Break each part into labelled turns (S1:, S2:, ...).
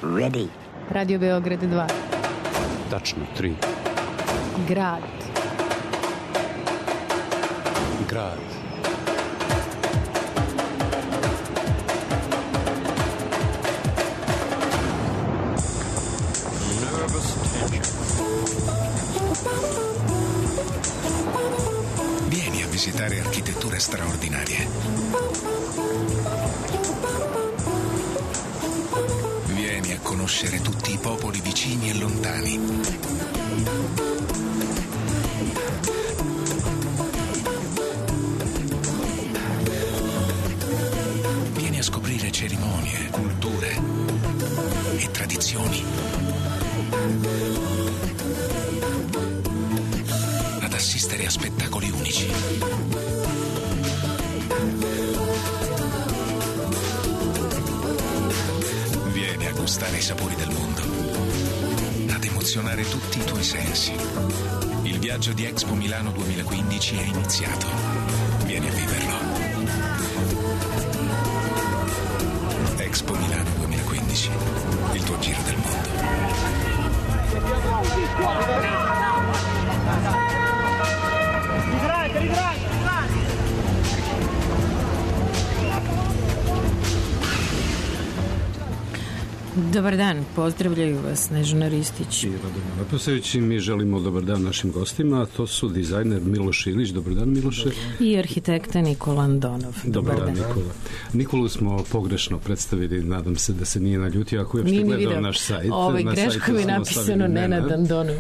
S1: Ready.
S2: Radio Beograd 2.
S3: Tačno 3.
S2: Grad.
S3: Grad.
S4: Vieni a visitare architetture straordinarie. Vieni a conoscere tutti i popoli vicini e lontani. Vieni a scoprire cerimonie, culture e tradizioni. Ad assistere a spettacoli unici. Vieni a gustare i sapori del mondo, ad emozionare tutti i tuoi sensi. Il viaggio di Expo Milano 2015 è iniziato. Vieni a viverlo. Expo Milano 2015, il tuo giro del mondo.
S2: Dobar dan, pozdravljaju vas Snežana Ristić
S3: i Radomir Leposević. Mi želimo dobar dan našim gostima, a to su dizajner Miloš Ilić. Dobar dan, Miloše.
S2: I arhitekta Nikola Andonov.
S3: Dobar dan, Nikola. Nikolu smo pogrešno predstavili, nadam se da se nije naljutio ako je uopšte gledao naš sajt.
S2: Greškom je napisano Nenad Andonov.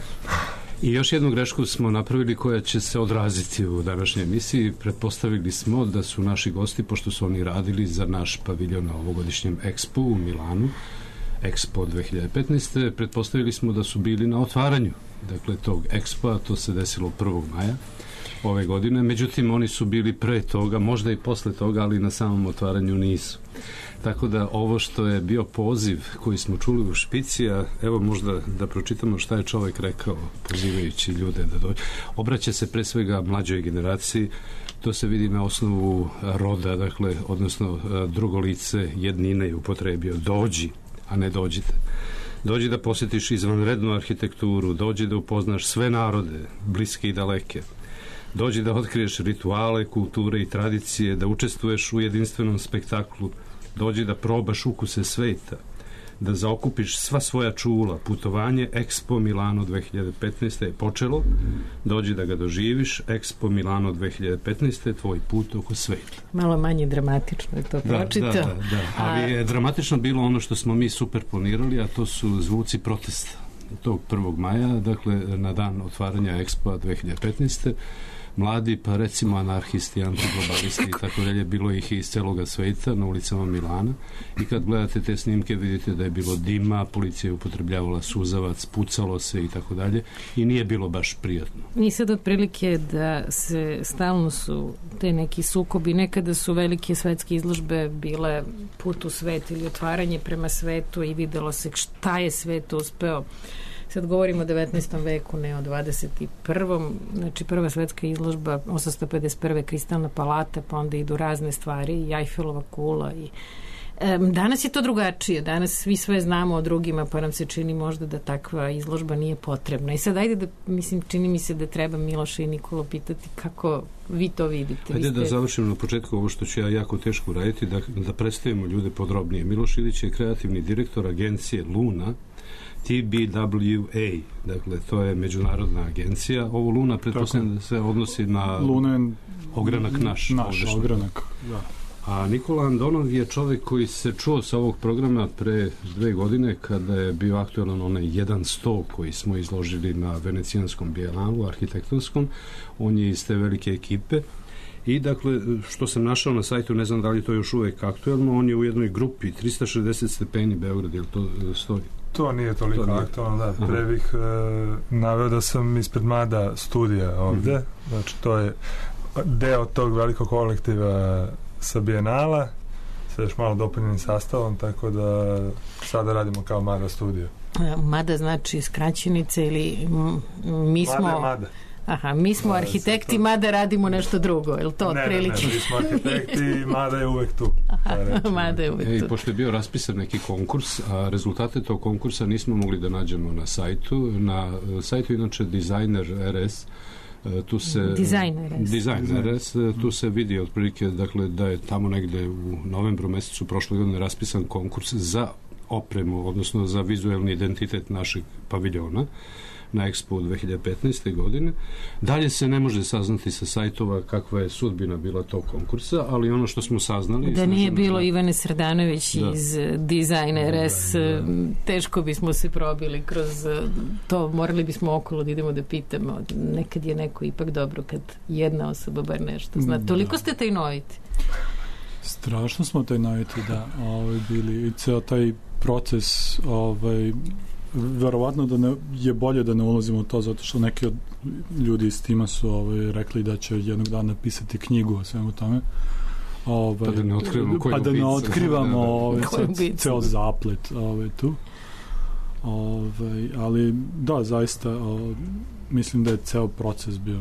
S3: I još jednu grešku smo napravili koja će se odraziti u današnjoj emisiji. Pretpostavili smo da su naši gosti, pošto su oni radili za naš paviljon na ovogodišnjem Expo u Milanu, Expo 2015. Pretpostavili smo da su bili na otvaranju, dakle, tog Expo, to se desilo 1. maja ove godine, međutim oni su bili pre toga, možda i posle toga, ali na samom otvaranju nisu. Tako da ovo što je bio poziv koji smo čuli u špici, a evo možda da pročitamo šta je čovjek rekao pozivajući ljude da dođe. Obraća se pre svega mlađoj generaciji, to se vidi na osnovu roda, dakle, odnosno drugo lice jednine je upotrebio, dođi, a ne dođite. Dođi da posjetiš izvanrednu arhitekturu, dođi da upoznaš sve narode, bliske i daleke. Dođi da otkriješ rituale, kulture i tradicije, da učestvuješ u jedinstvenom spektaklu, dođi da probaš ukuse sveta, da zaokupiš sva svoja čula. Putovanje Expo Milano 2015. je počelo, dođi da ga doživiš. Expo Milano 2015. je tvoj put oko sveta.
S2: Malo manje dramatično je to pročitao.
S3: Da. Ali je dramatično bilo ono što smo mi super planirali, a to su zvuci protesta tog 1. maja, dakle na dan otvaranja Expo 2015. Mladi, pa recimo anarhisti, antiglobalisti i tako dalje, bilo ih iz celoga sveta na ulicama Milana, i kad gledate te snimke vidite da je bilo dima, policija je upotrebljavala suzavac, pucalo se i tako dalje, i nije bilo baš prijatno.
S2: I sad otprilike da se stalno su te neki sukobi, nekada su velike svetske izložbe bile put u svet ili otvaranje prema svetu i videlo se šta je svet uspeo. Sad govorimo o 19. veku, ne o 21. Znači prva svetska izložba 851. Kristalna palata, pa onda idu razne stvari i Eiffellova kula i danas je to drugačije, danas svi sve znamo o drugima, pa nam se čini možda da takva izložba nije potrebna. I sad ajde da, čini mi se da treba Miloša i Nikolo pitati kako vi to vidite.
S3: Ajde da završimo na početku ovo što ću ja jako teško raditi, da predstavimo ljude podrobnije. Miloš Ilić je kreativni direktor agencije Luna, TBWA, dakle to je međunarodna agencija. Ovo Luna pretpostavljam da se odnosi na ogranak naš ogranak, da. A Nikola Andonov je čovjek koji se čuo sa ovog programa pre 2 godine kada je bio aktualan onaj 100 koji smo izložili na Venecijanskom bijenalu arhitektonskom. On je iz te velike ekipe i dakle što sam našao na sajtu, ne znam da li to još uvijek aktualno, on je u jednoj grupi 360 stepeni Beograd, je li to stoji?
S5: To nije toliko aktualno, da. Pre bih naveo da sam ispred Mada studija ovde, znači to je deo tog velikog kolektiva sa Bijenala, sa još malo dopunjenim sastavom, tako da sada radimo kao Mada studio.
S2: Mada znači skraćenica ili mi smo...
S5: Mada.
S2: Aha, mi smo arhitekti, mada radimo nešto drugo, je li to otprilike?
S5: Ne, mi smo arhitekti, mada je uvek tu.
S2: Mada je uvek tu.
S3: I pošto je bio raspisan neki konkurs, a rezultate tog konkursa nismo mogli da nađemo na sajtu. Na sajtu inače Designer RS, tu se Designer RS, tu se vidi otprilike, dakle, da je tamo negde u novembru mesecu prošle godine raspisan konkurs za opremu, odnosno za vizuelni identitet našeg paviljona na Expo 2015. godine. Dalje se ne može saznati sa sajtova kakva je sudbina bila tog konkursa, ali ono što smo saznali...
S2: Da nije bilo Ivane Srdanović iz Design RS, teško bismo se probili kroz to, morali bismo okolo da idemo da pitamo. Nekad je neko ipak dobro kad jedna osoba bar nešto zna. Toliko ste tajnoviti.
S1: Strašno smo tajnoviti, da, bili i ceo taj proces, verovatno da je bolje da ne ulazimo u to, zato što neki od ljudi iz tima su rekli da će jednog dana napisati knjigu o svemu tome.
S3: Pa da ne otkrivamo
S1: ceo zaplet tu. Ali da, zaista mislim da je ceo proces bio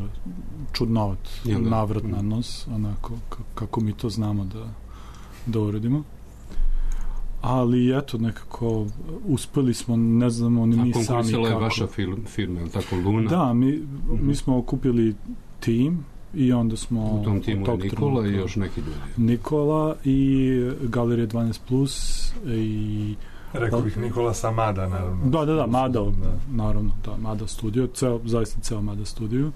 S1: čudnovat, navrat na nos, onako kako mi to znamo da uredimo. Ali eto, nekako uspeli smo, ne znamo ni mi sami kako. A konkursila
S3: je vaša firma, je tako, Luna?
S1: Da, mi smo okupili tim i onda smo...
S3: U tom timu je Nikola i još neki ljudi.
S1: Nikola i Galerija 12+, i...
S5: Rekao bih Nikola sa Mada, naravno.
S1: Da, Mada, naravno, da, Mada studio, zaista ceo Mada studio.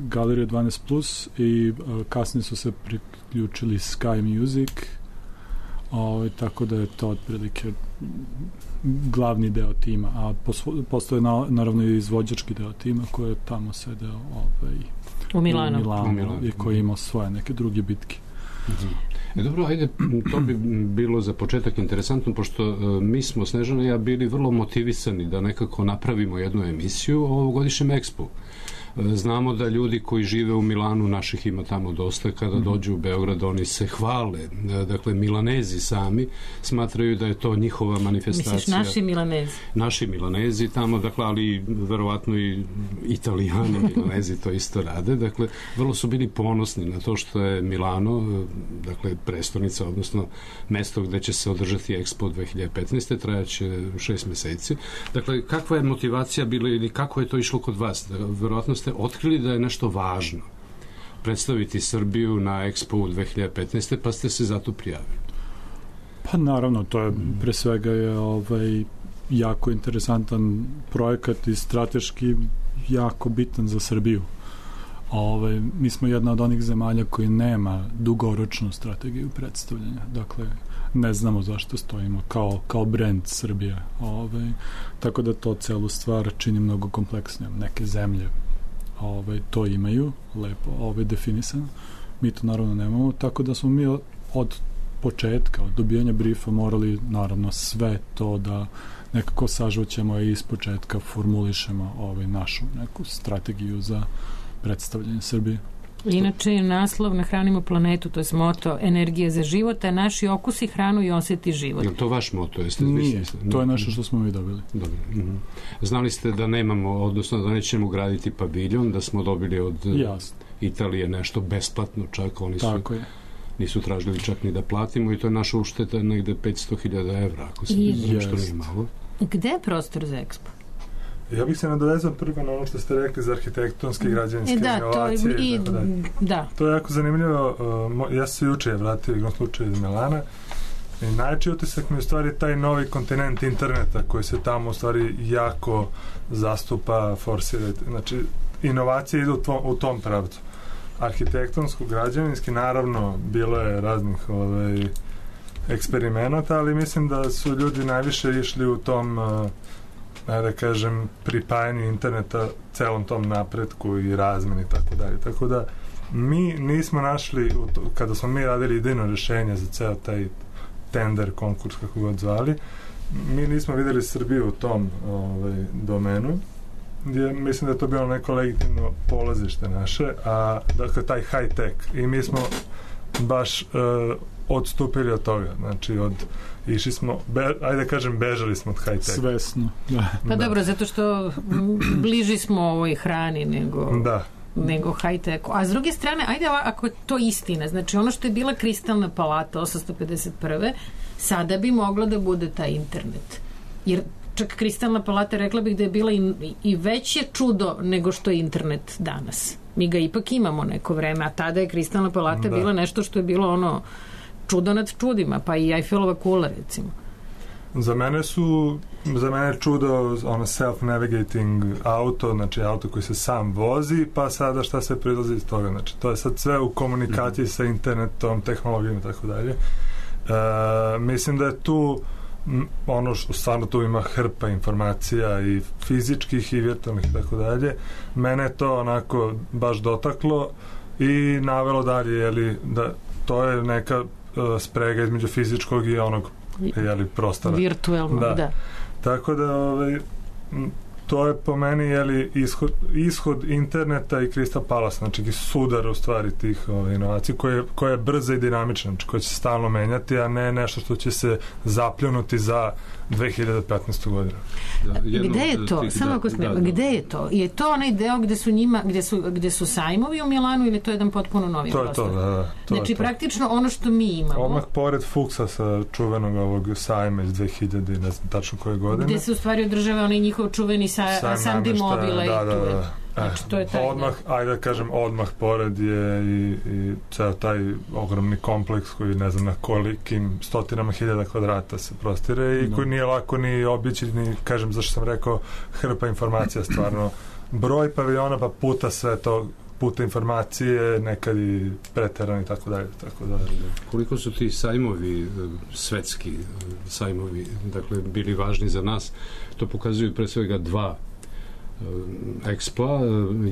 S1: Galerija 12+, i kasnije su se priključili Sky Music, tako da je to otprilike glavni deo tima, a postoje naravno i izvođački deo tima koji je tamo sedeo
S2: u Milanu
S1: i koji je imao svoje neke druge bitke.
S3: Dobro, ajde, to bi bilo za početak interesantno, pošto mi smo, Snežana i ja, bili vrlo motivisani da nekako napravimo jednu emisiju o ovogodišnjem Expu. Znamo da ljudi koji žive u Milanu, naših ima tamo dosta, kada dođu u Beograd, oni se hvale. Dakle, Milanezi sami smatraju da je to njihova manifestacija.
S2: Misliš naši Milanezi?
S3: Naši Milanezi tamo, dakle, ali verovatno i Italijani Milanezi to isto rade. Dakle, vrlo su bili ponosni na to što je Milano, dakle, prestonica, odnosno mesto gde će se održati Expo 2015. Trajaće 6 meseci. Dakle, kakva je motivacija bila ili kako je to išlo kod vas? Verovatno ste otkrili da je nešto važno predstaviti Srbiju na Expo 2015. pa ste se zato prijavili.
S1: Pa naravno, to je pre svega je jako interesantan projekat i strateški jako bitan za Srbiju. Mi smo jedna od onih zemalja koji nema dugoročnu strategiju predstavljanja. Dakle, ne znamo zašto stojimo kao brand Srbije. Tako da to celu stvar čini mnogo kompleksnijom. Neke zemlje to imaju lepo definisano. Mi to naravno nemamo, tako da smo mi od početka, od dobijanja briefa morali naravno sve to da nekako sažućemo i iz početka formulišemo našu neku strategiju za predstavljanje Srbije.
S2: Inače, naslov Nahranimo planetu, to je moto Energija za život, a naši okusi hranu i osjeti život.
S3: Je to vaš moto?
S1: Nije, to je nešto što smo mi dobili.
S3: Dobro. Znali ste da nemamo, odnosno da nećemo graditi paviljon, da smo dobili od Italije nešto besplatno, čak oni nisu tražili čak ni da platimo i to je naša ušteta negde 500.000 evra, ako se nešto nije malo.
S2: Gde je prostor za Expo?
S5: Ja bih se nadovezao prvo na ono što ste rekli za arhitektonske i građevinske inovacije. To je jako zanimljivo. Ja sam se juče vratio igrom slučaju iz Milana i najveći utisak mi je u stvari taj novi kontinent interneta koji se tamo u stvari jako zastupa, forsira. Znači, inovacije idu u tom pravcu. Arhitektonsko, građevinski, naravno, bilo je raznih eksperimenata, ali mislim da su ljudi najviše išli u tom da kažem, pripajanju interneta celom tom napretku i razmeni i tako dalje. Tako da mi nismo našli, kada smo mi radili idejno rešenje za ceo taj tender, konkurs, kako god zvali, mi nismo videli Srbiju u tom domenu, gdje mislim da je to bilo neko legitimno polazište naše, a dakle taj high tech. I mi smo baš odstupili od toga. Znači, išli smo, ajde kažem, bežali smo od high-tech.
S1: Svesno, da.
S2: Pa dobro, zato što bliži smo ovoj hrani nego high-techu. A s druge strane, ajde ako je to istina, znači ono što je bila Kristalna palata 851. sada bi moglo da bude taj internet. Jer čak Kristalna palata, rekla bih da je bila i veće čudo nego što je internet danas. Mi ga ipak imamo neko vreme, a tada je Kristalna palata bila nešto što je bilo ono čudo nad čudima, pa i Eiffelova kula, recimo.
S5: Za mene je čudo ono self-navigating auto, znači auto koji se sam vozi, pa sada šta se prilazi iz toga. Znači, to je sad sve u komunikaciji sa internetom, tehnologijom i tako dalje. Mislim da je tu ono što stvarno tu ima hrpa informacija i fizičkih i virtualnih i tako dalje. Mene je to onako baš dotaklo i navelo dalje, da to je neka sprega između fizičkog i onog prostora.
S2: Virtualno, da.
S5: Tako da to je po meni ishod interneta i Crystal Palace, znači sudar u stvari tih inovacija koja je brza i dinamična, znači koja će se stalno menjati, a ne nešto što će se zapljunuti za 2015. godinu.
S2: Gde je to? Samo ako smijemo, gde je to? Je to onaj deo gde su sajmovi u Milanu ili to je jedan potpuno novi prostor?
S5: To je to, da.
S2: Znači, praktično ono što mi imamo.
S5: Odmah pored Fuchsa sa čuvenog ovog sajma iz 2000, ne znam tačno koje godine.
S2: Gde se u stvari održava onaj njihov čuveni Sandy Mobile i tu je. Znači, to je taj
S5: odmah pored je i ceo taj ogromni kompleks koji ne znam na kolikim stotinama hiljada kvadrata se prostire i koji nije lako ni obići, ni kažem zašto sam rekao hrpa informacija stvarno. Broj paviljona pa puta sve to, puta informacije, nekad i preterani i tako dalje.
S3: Koliko su ti sajmovi, svetski sajmovi, dakle, bili važni za nas, to pokazuju pre svega dva Expo,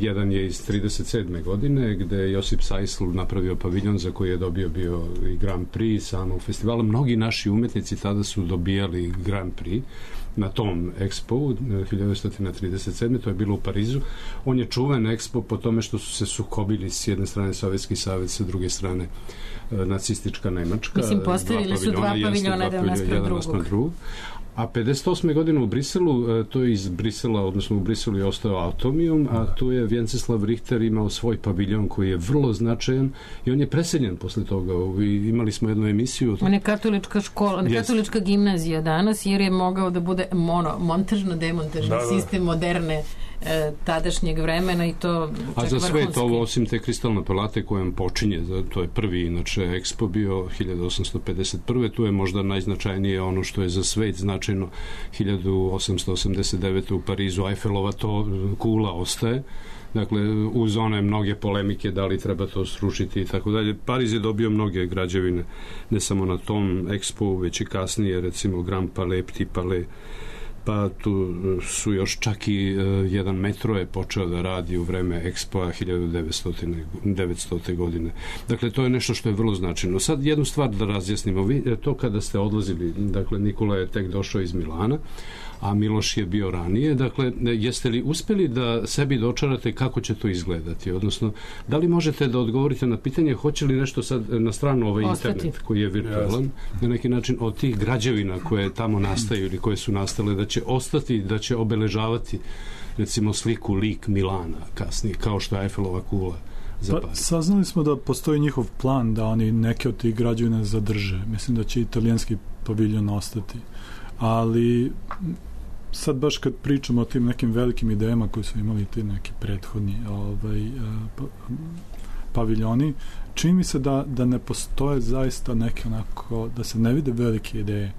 S3: jedan je iz 37. godine gde je Josip Sajsl napravio paviljon za koji je dobio bio i Grand Prix samog festivala. Mnogi naši umetnici tada su dobijali Grand Prix na tom Expo 1937. To je bilo u Parizu. On je čuven Expo po tome što su se sukobili s jedne strane Sovjetski savez, sa druge strane nacistička Nemačka.
S2: Mislim, postavili su dva paviljona jedan naspram drugog.
S3: A 58. godine u Briselu, to je iz Brisela, odnosno u Briselu je ostao Atomium, a tu je Vjenceslav Richter imao svoj paviljon koji je vrlo značajan i on je preseljen posle toga. Imali smo jednu emisiju.
S2: On je katolička škola, katolička gimnazija danas, jer je mogao da bude montažno-demontažni sistem moderne tadašnjeg vremena i to čak vrhunski.
S3: A za sve to ovo, osim te Kristalne palate kojom počinje, to je prvi inače Expo bio 1851. Tu je možda najznačajnije ono što je za svet značajno 1889. u Parizu Eiffelova to kula ostaje. Dakle, uz one mnoge polemike da li treba to srušiti i tako dalje. Pariz je dobio mnoge građevine, ne samo na tom Expo, već i kasnije, recimo Grand Palais, Petit Palais, pa tu su još čak i jedan metro je počeo da radi u vreme Expoa 1900. godine. Dakle, to je nešto što je vrlo značajno. Sad jednu stvar da razjasnimo. Vi, to kada ste odlazili, dakle, Nikola je tek došao iz Milana, a Miloš je bio ranije. Dakle, jeste li uspeli da sebi dočarate kako će to izgledati? Odnosno, da li možete da odgovorite na pitanje hoće li nešto sad na stranu ovaj internet koji je virtualan, na neki način od tih građevina koje tamo nastaju ili koje su nastale, da će ostati, da će obeležavati recimo sliku, lik Milana kasnije, kao što je Eiffelova kula.
S1: Saznali smo da postoji njihov plan da oni neke od tih građevina zadrže. Mislim da će italijanski paviljon ostati. Ali sad baš kad pričamo o tim nekim velikim idejama koji su imali ti neki prethodni paviljoni, čini mi se da ne postoje zaista neke onako, da se ne vide velike ideje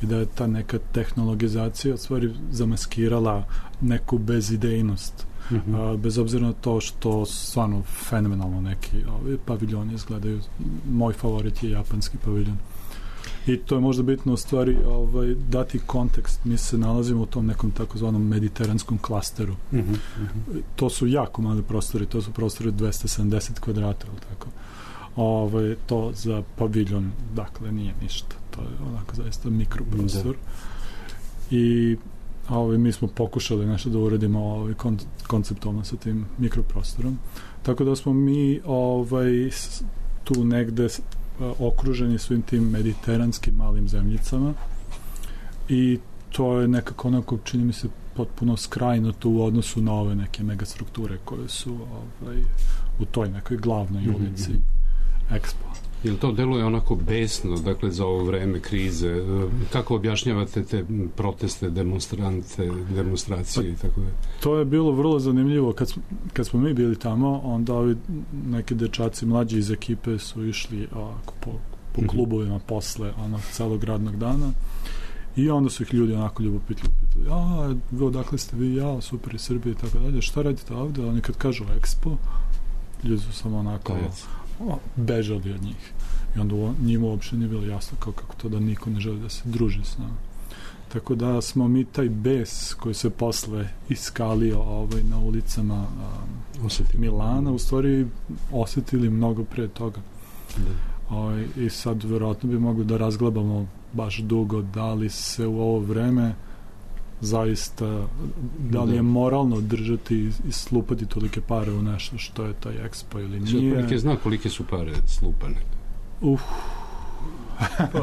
S1: i da je ta neka tehnologizacija stvari zamaskirala neku bezidejnost. Bez obzira na to što stvarno fenomenalno neki paviljoni izgledaju. Moj favorit je japanski paviljon. I to je možda bitno u stvari dati kontekst. Mi se nalazimo u tom nekom takozvanom mediteranskom klasteru. To su jako mali prostori, to su prostori 270 kvadrata, tako. To za paviljon, dakle, nije ništa. To je onako zaista mikroprostor. I mi smo pokušali nešto da uradimo konceptualno sa tim mikroprostorom. Tako da smo mi tu negde okruženi svim tim mediteranskim malim zemljicama i to je nekako onako, čini mi se, potpuno skrajnuto u odnosu na ove neke megastrukture koje su u toj nekoj glavnoj ulici Expo.
S3: Jel to deluje onako besno, dakle, za ovo vreme krize? Kako objašnjavate te proteste, demonstracije i tako da?
S1: To je bilo vrlo zanimljivo. Kad smo mi bili tamo, onda ovi neki dečaci mlađi iz ekipe su išli po klubovima posle celog radnog dana i onda su ih ljudi onako ljubopitli pitali, odakle ste vi? Ja, super iz Srbije i tako dalje. Šta radite ovde? Oni kad kažu Expo, ljudi su samo onako bežali od njih. I onda njima uopšte nije bilo jasno kako to da niko ne želi da se druži s nama. Tako da smo mi taj bes koji se posle iskalio na ulicama Milana u stvari osetili mnogo pre toga. I sad verovatno bi mogli da razglabamo baš dugo da li se u ovo vreme zaista, da li je moralno držati i slupati tolike pare u nešto što je taj Expo ili nije.
S3: Zna kolike su pare slupane?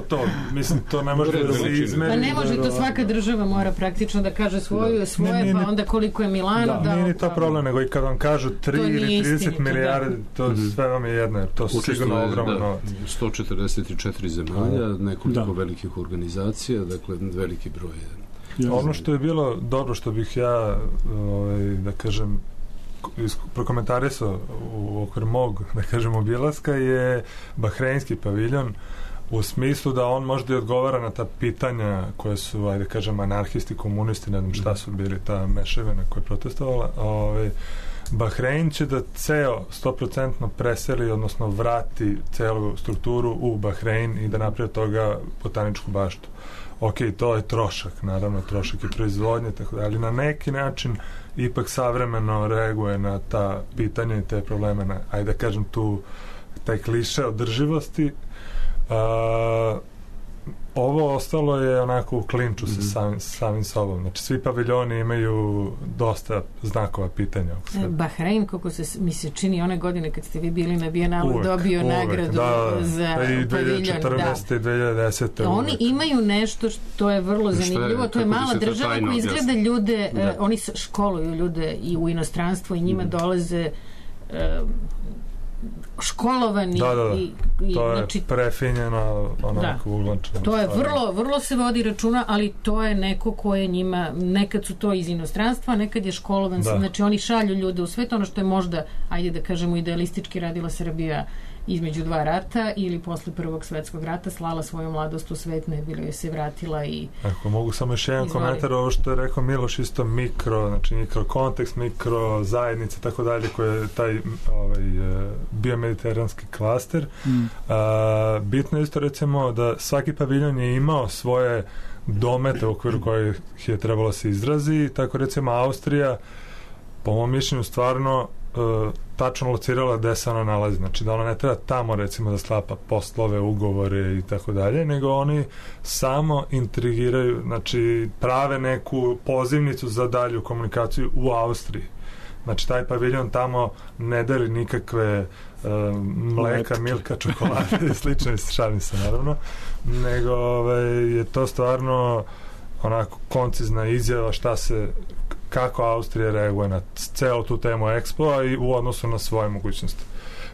S5: To, mislim, to ne može da se izmeri.
S2: Pa ne može, to svaka država mora praktično da kaže svoje, pa onda koliko je Milano.
S5: Nije ni to problem, nego i kad vam kažu 3 ili 30 milijardi, to sve vam je jedno, to su sigurno ogromno novac.
S3: 144 zemalja, nekoliko velikih organizacija, dakle, veliki broj.
S5: Ono što je bilo dobro, što bih ja, da kažem, prokomentarisao u okviru mog, da kažem, obilaska je Bahreinski paviljon, u smislu da on možda i odgovara na ta pitanja koje su, ajde kažem, anarhisti, komunisti, ne znam šta su bili ta mešavina koja je protestovala. Bahrein će da ceo 100% preseli, odnosno vrati celu strukturu u Bahrein i da napravi od toga botaničku baštu. Ok, to je trošak, naravno, trošak i proizvodnje, tako da, ali na neki način ipak savremeno reaguje na ta pitanja i te probleme, ajde da kažem tu taj kliše održivosti. Ovo ostalo je onako u klinču sa samim sobom. Znači, svi paviljoni imaju dosta znakova pitanja.
S2: Bahrein, kako mi se čini one godine kad ste vi bili na Bijenalu, dobio nagradu za paviljon.
S5: I 2014. i 2010.
S2: Oni imaju nešto što je vrlo zanimljivo. To je mala država koja izgleda ljude, oni školuju ljude i u inostranstvo i njima dolaze školovani
S5: i to je znači, prefinjeno onako uglančeno.
S2: To je vrlo se vodi računa, ali to je neko ko je njima, nekad su to iz inostranstva, nekad je školovan, znači oni šalju ljude u svet, ono što je možda, ajde da kažemo, idealistički radila Srbija između dva rata ili posle Prvog svetskog rata, slala svoju mladost u svet, ne bilo je se vratila i
S5: ako mogu samo još jedan komentar, ovo što je rekao Miloš, isto znači mikrokontekst, mikro zajednice, tako dalje, koje je taj biomediteranski klaster. Bitno je isto, recimo, da svaki paviljon je imao svoje domete u okviru kojih je trebalo se izrazi, tako recimo Austrija, po mom mišljenju, stvarno tačno locirala gde se ona nalazi, znači da ona ne treba tamo recimo da sklapa poslove, ugovore i tako dalje, nego oni samo intrigiraju, znači prave neku pozivnicu za dalju komunikaciju u Austriji. Znači taj paviljon tamo ne deli nikakve mleka, milka, čokolade i slično, šalim se naravno, nego je to stvarno onako koncizna izjava kako Austrija reaguje na celu tu temu Expo i u odnosu na svoje mogućnosti.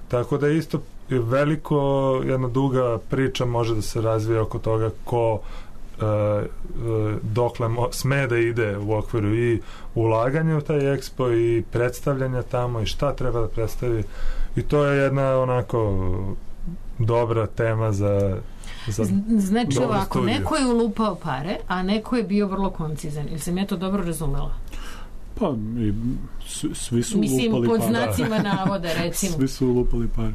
S5: Tako da isto veliko, jedna duga priča može da se razvije oko toga ko dokle sme da ide u okviru i ulaganja u taj Expo i predstavljanja tamo i šta treba da predstavi, i to je jedna onako dobra tema za
S2: znači ovako, neko je ulupao pare, a neko je bio vrlo koncizan. Ili sam ja to dobro razumela?
S1: Pa, svi su ulupali pare.
S2: Mislim, pod znacima navoda, recimo.
S1: Svi su ulupali pare.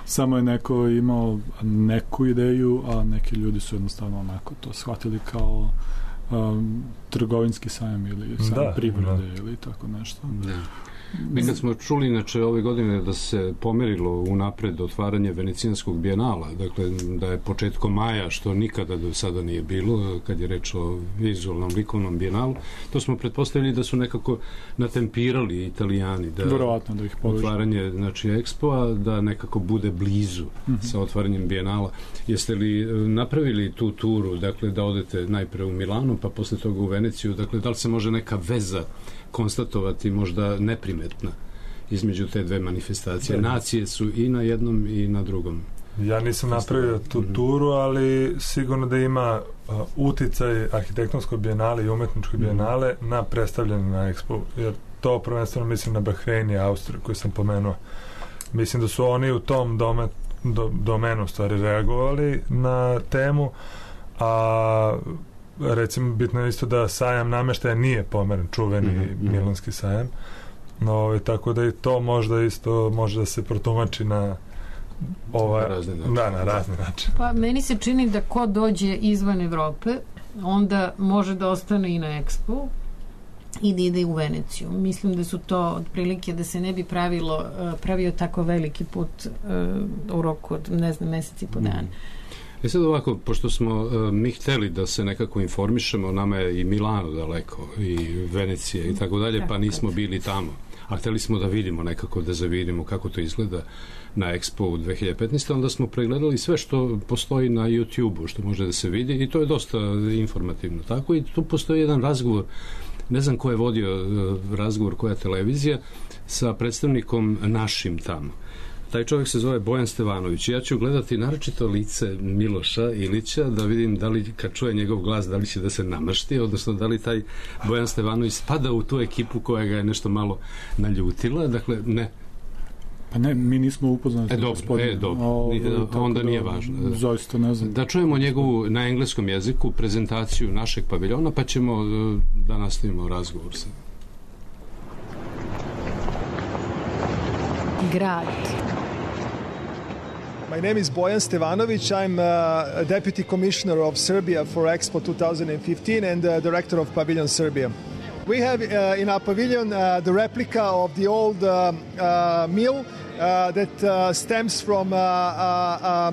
S1: Samo je neko imao neku ideju, a neki ljudi su jednostavno onako to shvatili kao trgovinski sajam ili sajam privrede ili tako nešto.
S3: Mi kad smo čuli inače ove godine da se pomerilo unapred otvaranje Venecijanskog bijenala, dakle da je početkom maja, što nikada do sada nije bilo kad je reč o vizualnom likovnom bijenalu, to smo pretpostavili da su nekako natempirali Italijani da
S1: ih
S3: otvaranje, znači Expo-a, da nekako bude blizu sa otvaranjem bijenala. Jeste li napravili tu turu, dakle da odete najpre u Milano pa posle toga u Veneciju, dakle da li se može neka veza konstatovati možda neprimetna između te dve manifestacije? Nacije su i na jednom i na drugom.
S5: Ja nisam napravio tu turu, ali sigurno da ima uticaj arhitektonskog bijenale i umetničkog bijenale na predstavljanje na Expo, jer to prvenstveno mislim na Bahrein i Austriju koju sam pomenuo. Mislim da su oni u tom domenu stvari reagovali na temu, a recimo bitno je isto da sajam nameštaja nije pomeren, čuveni milanski sajam, tako da i to možda isto može da se protumači na na razni način.
S2: Pa meni se čini da ko dođe izvan Evrope onda može da ostane i na Expo i da ide u Veneciju. Mislim da su to otprilike da se ne bi pravio tako veliki put u roku od, ne znam, meseci po dana.
S3: Sad ovako, pošto smo mi hteli da se nekako informišemo, nama je i Milano daleko i Venecija i tako dalje, pa nismo bili tamo. A hteli smo da vidimo nekako, da zavidimo kako to izgleda na Expo u 2015. Onda smo pregledali sve što postoji na YouTube-u, što može da se vidi i to je dosta informativno. Tako i tu postoji jedan razgovor, ne znam ko je vodio razgovor, koja televizija, sa predstavnikom našim tamo. Taj čovjek se zove Bojan Stevanović. Ja ću gledati naročito lice Miloša Ilića da vidim da li kad čuje njegov glas da li će da se namašti, odnosno da li taj Bojan Stevanović spada u tu ekipu koja ga je nešto malo naljutila. Dakle, ne.
S1: Pa ne, mi nismo upoznati.
S3: Dobro. Onda nije važno.
S1: Zaista ne znam.
S3: Da čujemo njegovu na engleskom jeziku prezentaciju našeg paviljona, pa ćemo da nastavimo razgovor sa
S2: grad.
S6: My name is Bojan Stevanović. I'm Deputy Commissioner of Serbia for Expo 2015 and Director of Pavilion Serbia. We have in our pavilion the replica of the old mill that stems from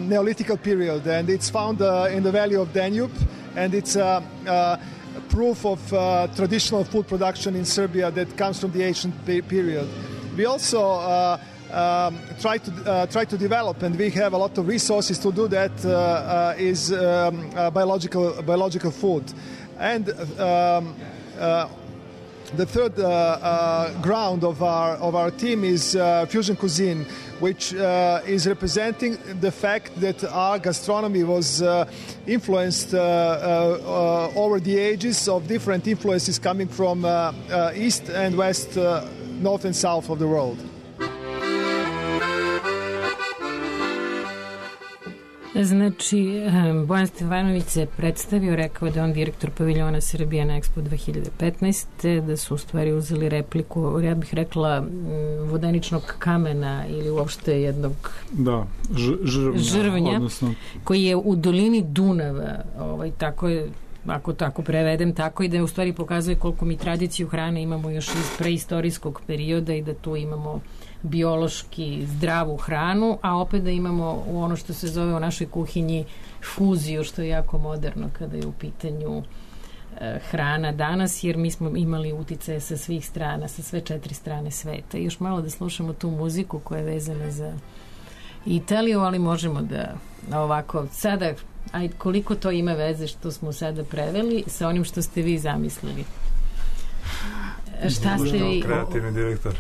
S6: Neolithical period, and it's found in the valley of Danube, and it's proof of traditional food production in Serbia that comes from the ancient period. We also try to develop, and we have a lot of resources to do that, is biological food. And the third ground of our team is fusion cuisine, which is representing the fact that our gastronomy was influenced over the ages of different influences coming from east and west, north and south of the world.
S2: Znači, Bojan Stevanović se predstavio, rekao da je on direktor paviljona Srbije na Expo 2015. Da su u stvari uzeli repliku, ja bih rekla, vodeničnog kamena ili uopšte jednog žrvnja
S1: odnosno,
S2: koji je u dolini Dunava, tako je, ako tako prevedem, tako i da u stvari pokazuje koliko mi tradiciju hrane imamo još iz preistorijskog perioda i da tu imamo biološki zdravu hranu, a opet da imamo u ono što se zove u našoj kuhinji fuziju, što je jako moderno kada je u pitanju hrana danas, jer mi smo imali uticaje sa svih strana, sa sve 4 strane sveta. I još malo da slušamo tu muziku koja je vezana za Italiju, ali možemo da ovako, sada, koliko to ima veze što smo sada preveli sa onim što ste vi zamislili? Šta ste vi...
S5: Kreativni direktor.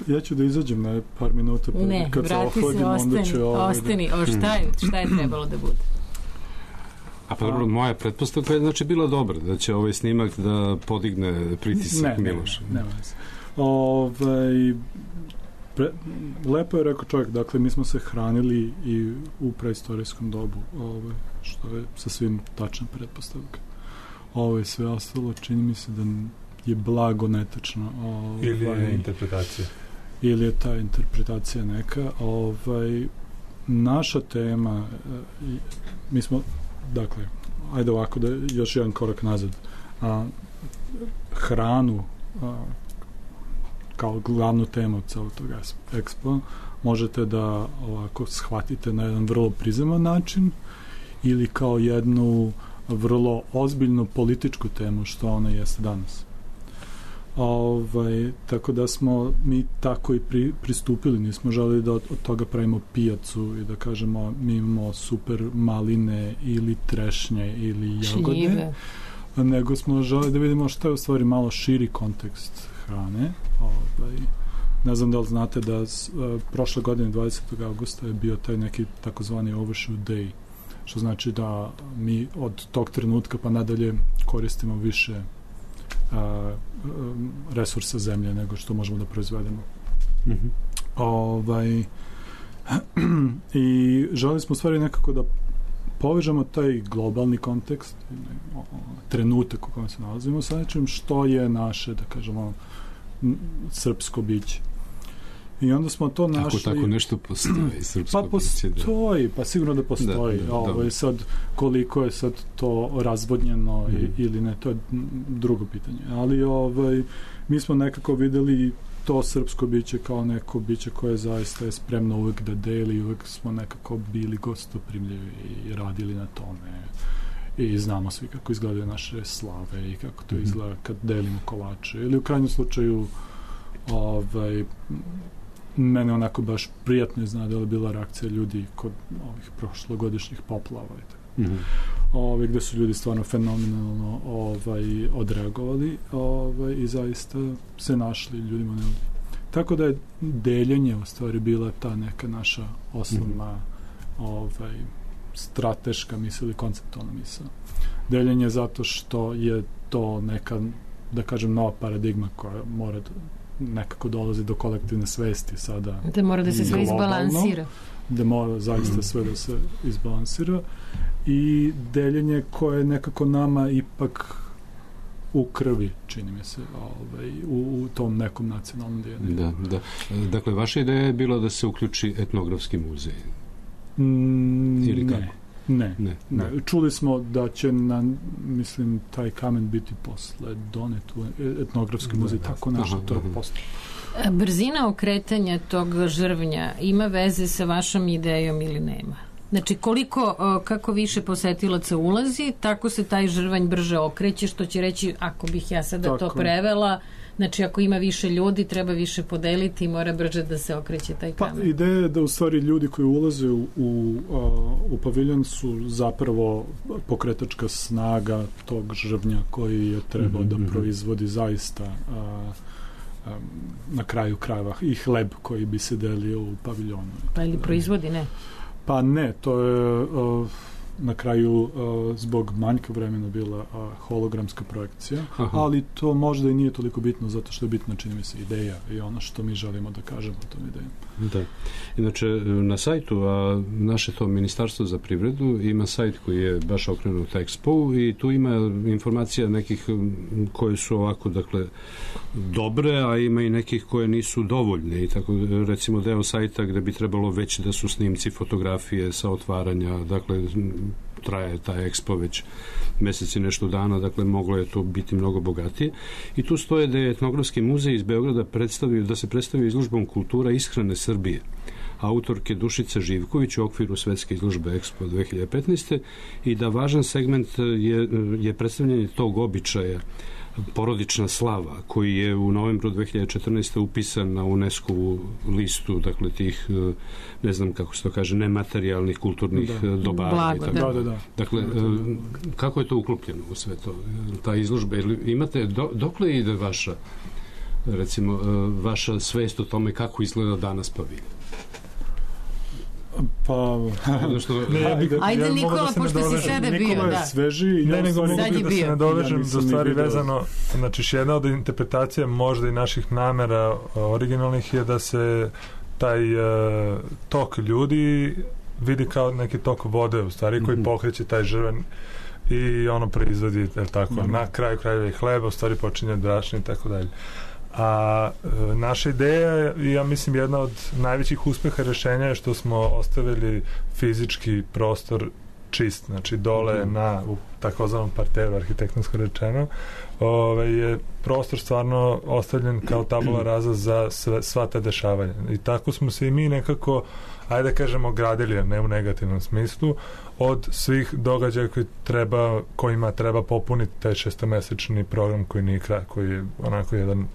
S1: Ja ću da izađem na par minuta,
S2: ne,
S1: kad se ohladim, onda ću...
S2: Ostani, šta je trebalo da bude?
S3: A pa dobro, moja pretpostavka je znači bila dobra, da će ovaj snimak da podigne pritisak Miloša.
S1: Ne. Lepo je rekao čovjek, dakle mi smo se hranili i u preistorijskom dobu, što je sa svim tačna pretpostavka. Sve ostalo čini mi se da je blago netačno.
S5: Ili je interpretacija.
S1: Ili je ta interpretacija neka. Naša tema, mi smo, dakle, ajde ovako da još jedan korak nazad. Hranu kao glavnu temu celog tog ekspo, možete da ovako shvatite na jedan vrlo prizeman način ili kao jednu vrlo ozbiljnu političku temu, što ona jeste danas. Tako da smo mi tako i pristupili, nismo želeli da od toga pravimo pijacu i da kažemo mi imamo super maline ili trešnje ili jagode,
S2: šljive,
S1: nego smo želeli da vidimo šta je u stvari malo širi kontekst hrane. Ne znam da li znate da prošle godine 20. augusta je bio taj neki takozvani Overshoot Day, što znači da mi od tog trenutka pa nadalje koristimo više resursa zemlje nego što možemo da proizvedemo. I želeli smo u stvari nekako da povežemo taj globalni kontekst, trenutak u kojem se nalazimo sa nečim što je naše, da kažemo, srpsko biće. I onda smo to našli...
S3: Tako nešto postoji, srpsko biće.
S1: Pa postoji, pa sigurno da postoji. Sad, koliko je sad to razvodnjeno ili ne, to je drugo pitanje. Ali mi smo nekako videli to srpsko biće kao neko biće koje zaista je spremno uvek da deli, uvek smo nekako bili gostoprimljivi i radili na tome. I znamo svi kako izgledaju naše slave i kako to izgleda kad delimo kolače. Ili u krajnjem slučaju mene onako baš prijatno iznadila je bila reakcija ljudi kod ovih prošlogodišnjih poplava i tako. Gde su ljudi stvarno fenomenalno odreagovali i zaista se našli ljudima ne. Tako da je deljenje u stvari bila ta neka naša osnovna strateška misl ili konceptualna misl. Deljenje zato što je to neka, da kažem, nova paradigma koja mora nekako dolazi do kolektivne svesti sada.
S2: Da mora da se sve izbalansira.
S1: Da mora zaista sve da se izbalansira i deljenje koje je nekako nama ipak u krvi, čini mi se, u tom nekom nacionalnom deljenju.
S3: Da. Dakle, vaša ideja je bila da se uključi etnografski muzej? Ili kako?
S1: Ne. Čuli smo da će mislim, taj kamen biti posle donet u etnografski muzej, tako nešto, to je posle.
S2: Brzina okretanja tog žrvnja ima veze sa vašom idejom ili nema? Znači, kako više posetilaca ulazi, tako se taj žrvanj brže okreće, što će reći, ako bih ja sada to prevela, znači ako ima više ljudi, treba više podeliti i mora brže da se okreće taj kamen.
S1: Pa ideja je da u stvari ljudi koji ulaze u paviljon su zapravo pokretačka snaga tog žrvnja koji je trebao da proizvodi zaista na kraju krajeva i hleb koji bi se delio u paviljonu.
S2: Pa ili proizvodi, ne?
S1: Pa ne, to je na kraju zbog manjka vremena bila hologramska projekcija, ali to možda i nije toliko bitno zato što je bitno, čini mi se, ideja i ono što mi želimo da kažemo o tom idejom.
S3: Da. Inače, na sajtu, a naše to Ministarstvo za privredu ima sajt koji je baš okrenut Expo i tu ima informacija nekih koje su ovako, dakle, dobre, a ima i nekih koje nisu dovoljne i tako, recimo, deo sajta gde bi trebalo već da su snimci, fotografije sa otvaranja, dakle, traje taj Expo već meseci nešto dana, dakle moglo je to biti mnogo bogatije. I tu stoje da je etnografski muzej iz Beograda da se predstavi izložbom kultura ishrane Srbije autorke Dušice Živković u okviru svetske izložbe Expo 2015. i da važan segment je predstavljanje tog običaja porodična slava, koji je u novembru 2014. upisan na UNESCO-vu listu, dakle tih, ne znam kako se to kaže, nematerijalnih kulturnih dobara.
S1: Da.
S3: Dakle, kako je to uklopljeno u sve to? Ta izložba, imate, dokle ide vaša, recimo, vaša svest o tome kako izgleda danas paviljon?
S1: Pa...
S2: Ajde Nikola, pošto si sada bio.
S1: Nikola je sveži.
S5: Nego mogu da se nadovežem za stvari vezano. Znači, jedna od interpretacija možda i naših namera originalnih je da se taj tok ljudi vidi kao neki tok vode, u stvari, koji pokreće taj žrven i ono proizvodi, tako, na kraju krajeva i hleba, u stvari počinje brašno i tako dalje. A naša ideja je, ja mislim, jedna od najvećih uspeha rešenja je što smo ostavili fizički prostor čist, znači dole u takozvanom parteru, arhitektonsko rečeno, je prostor stvarno ostavljen kao tabula rasa za sva ta dešavanja. I tako smo se i mi nekako, ajde da kažemo, gradili, ne u negativnom smislu, od svih događaja kojima treba popuniti taj 6-mesečni program koji nije kraj, koji je onako jedan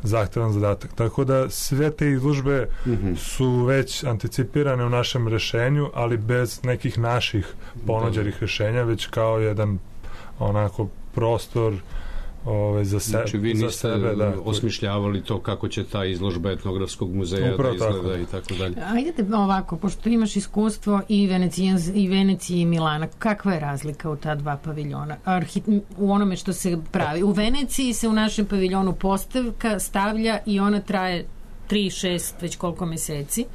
S5: zahtevan zadatak. Tako da sve te izložbe su već anticipirane u našem rešenju, ali bez nekih naših ponuđenih rešenja, već kao jedan onako prostor za sebe.
S3: Znači vi niste osmišljavali to kako će ta izložba etnografskog muzeja da izgleda i tako dalje.
S2: Ajde ovako, pošto imaš iskustvo i Venecije i Milana, kakva je razlika u ta dva paviljona? U onome što se pravi. U Veneciji se u našem paviljonu postavka stavlja i ona traje 3-6, već koliko meseci,